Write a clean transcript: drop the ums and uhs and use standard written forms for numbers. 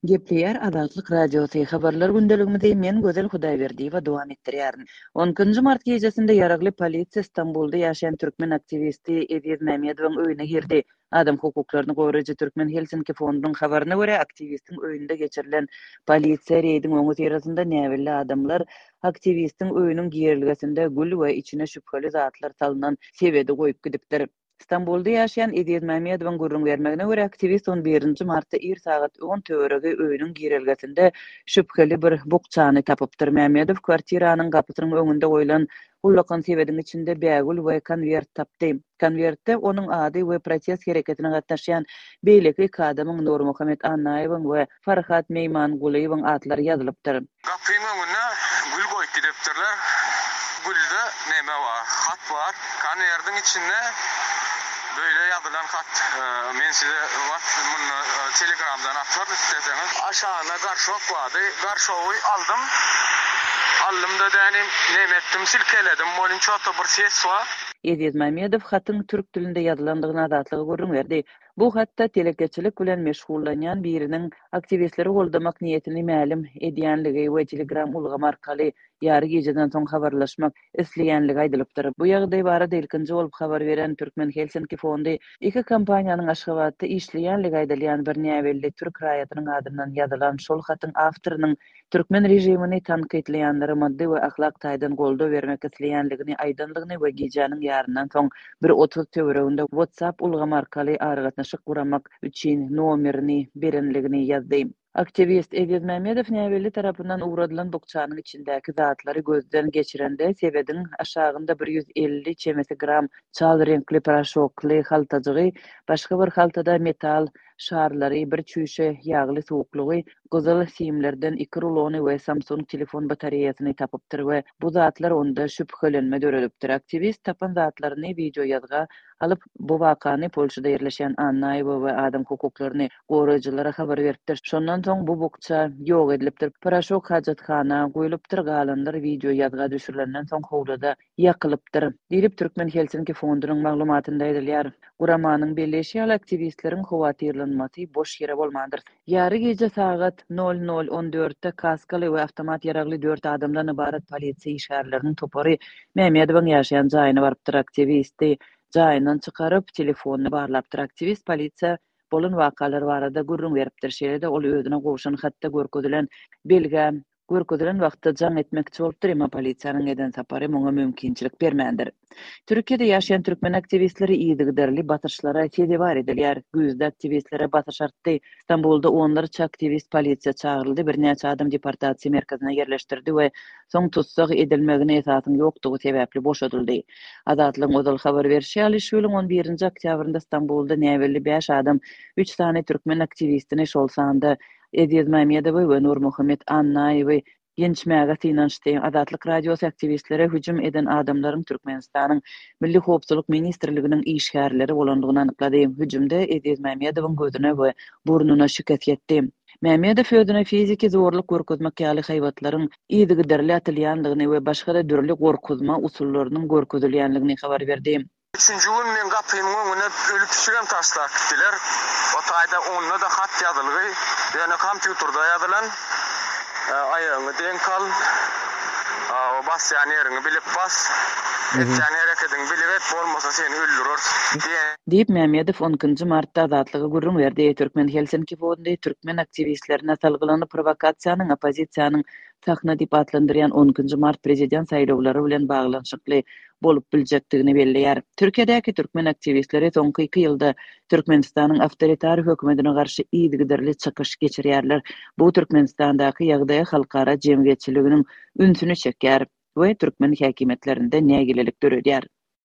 Gepleýär Azatlyk Radiosy, Habarlar gündeligimizi men Gözel Hudaýberdiýewa dowam etdirýärin. On ikinji mart gijesinde ýaragly polisiýa Stambulda ýaşaýan türkmen aktiwisti Eziz Mämmedowyň öýüne girdi. Adam hukuklaryny goraýjy Türkmen Helsinki fondunyň habaryna görä, aktiwistiň öýünde geçirilen polisiýa reýdiň öňüsyrasynda näbelli adamlar aktiwistiň öýüniň girelgesinde gül we içine şübheli zatlar salnan sebedi goýup gidipdir. Stambulda ýaşaýan Eziz Mämmedowyň gürrüň bermegine görä, aktiwist on birinji martda ir sagat on töweregi öýüniň girelgesinde şübheli bir bukjany tapypdyr. Mämmedow kwartiranyň gapysynyň öňünde goýlan ullakan sebediň içinde bägül we konwert tapdy. Konwertde onuň ady we protest hereketine gatnaşýan beýleki iki adamyň Nurmuhammet Annaýewiň we Farhat Meýmangulyýewiň atlary ýazylypdyr. Gapyň öňüne gül goýup gidipdirler. Gülde neme bar, hat bar. Konwerdiň içinde beýle ýazylan hat. Men size munda telegramdan ataryn isleseňiz. Aşagynda garşok bardy. Garşogy aldym. Aldym-da dänim neme etdim, silkeledim. Welin ço-to bir ses bar. Eziz Mämmedow hatyň türk dilinde ýazylandygyny Azatlyga gürrüň berdi. Bu hatda telekeçilik bilen meşgullanýan biriniň aktiwistleri goldamak niýetini mälim edýänligi we Telegram ulgamy arkaly ýary gijeden soň habarlaşmak isleýänligi aýdylypdyr. Bu ýagdaý barada ilkinji bolup habar beren Türkmen Helsinki fondy iki kompaniýanyň Aşgabatda işleýänligi aýdylýan bir näbelli türk raýatynyň adyndan ýazylan şol hatyň awtorynyň Türkmen režimini tankytlaýanlara maddy we ahlak taýdan goldaw bermek isleýänligini aýdanlygyny we gijäniň ýaryndan soň bir 30 töwereginde WhatsApp ulgamy arkaly aragatnaşyk guramak üçin nomerini berenligini ýazdy. Aktiwist Eziz Mämmedow näbelli tarapyndan ugradylan bukjanyň içindäki zatlary gözden geçirende sebediň aşagynda 150 çemesi gram çal reňkli poroşokly haltajygy, başga bir haltada metal şarlary, bir çüýşe ýagly suwuklygy, gyzyl simlerden iki rulony we Samsung telefon batareýasyny tapypdyr we bu zatlar onda şübhelenme döredipdir. Aktiwist tapan zatlaryny wideoýazga alyp, bu wakany Polşada ýerleşýän Annaýewa we adam hukuklaryny goraýjylara habar beripdir. Şondan soň bu bukja ýok edilipdir. Poroşok hajathana guýlupdyr, galanlar wideoýazga düşürilenden soň howluda ýakylypdyr, diýlip, Türkmen Helsinki fondunyň maglumatynda aýdylýar. Guramanyň belleýşi ýaly, aktiwistleriň howatyrlanmasy boş ýere bolmandyr. Ýary gije sagat nol nol on dörtde kaskaly we awtomat ýaragly dört adamdan ybarat polisiýa işgärleriniň topary Mämmedowyň ýaşaýan jaýyna barypdyr. Aktiwisti jaýyndan çykaryp, telefonyny barlapdyr. Aktiwist polisiýa bolan wakalar barada gürrüň beripdir. Şeýle-de ol özüne gowşan hatda görkezilen belgä Görkezilen wagtda jaň etmekçi bolupdyr, emma polisiýanyň eden sapary muňa mümkinçilik bermändir. Türkiýede ýaşaýan türkmen aktiwistleri yzygiderli basyşlara sezewar edilýär. Güýzde aktiwistlere basyş artdy. Stambulda onlarça aktiwist polisiýa çagyryldy, birnäçe adam deportasiýa merkezine ýerleşdirildi we soň tussag edilmegine esasyň ýokdugy sebäpli boşadyldy. Azatlygyň ozal habar berşi ýaly, şu ýylyň on birinji oktýabrynda Stambulda näbelli bäş adam üç sany türkmen aktiwistini, şol sanda Eziz Mämmedowy we Nurmuhammet Annaýewi ýençmäge synanyşdy. Azatlyk Radiosy aktiwistlere hüjüm eden adamlaryň Türkmenistanyň Milli howpsuzlyk ministrliginiň işgärleri bolandygyny anyklady. Hüjümde Eziz Mämmedowyň gözüne we burnuna şikes ýetdi. Mämmedow özüne fiziki zorluk görkezmek ýaly haýbatlaryň yzygiderli atylýandygyny we başga-da dürli gorkuzma usullarynyň görkezilýändigini habar berdi. Üçünji gün meň gapymyň öňüne öli pişigem taşlap gitdiler. O taýda onda-da hat ýazylgy, ýöne kompýuterde ýazylan. Aýagyňy deňk al, o basýan ýeriňi bilip bas, etýän herekediňi bilip et, bolmasa seni öldüreris diýen. Diýip, Mämmedow on ikinji martda Azatlyga gürrüň berdi. Türkmen Helsinki fondy türkmen aktiwistlerine salgylanyp, prowokasiýanyň oppozisiýanyň sahna diýip atlandyrýan on ikinji mart prezident saýlawlary bilen baglanyşykly bolup biljekdigini belleýär. Türkiýedäki türkmen aktiwistleri soňky iki ýylda Türkmenistanyň awtoritar hökümetine garşy yzygiderli çykyş geçirýärler. Bu Türkmenistandaky ýagdaýa halkara jemgyýetçiliginiň ünsüni çekýär we türkmen häkimiýetlerinde nägilelik döredýär.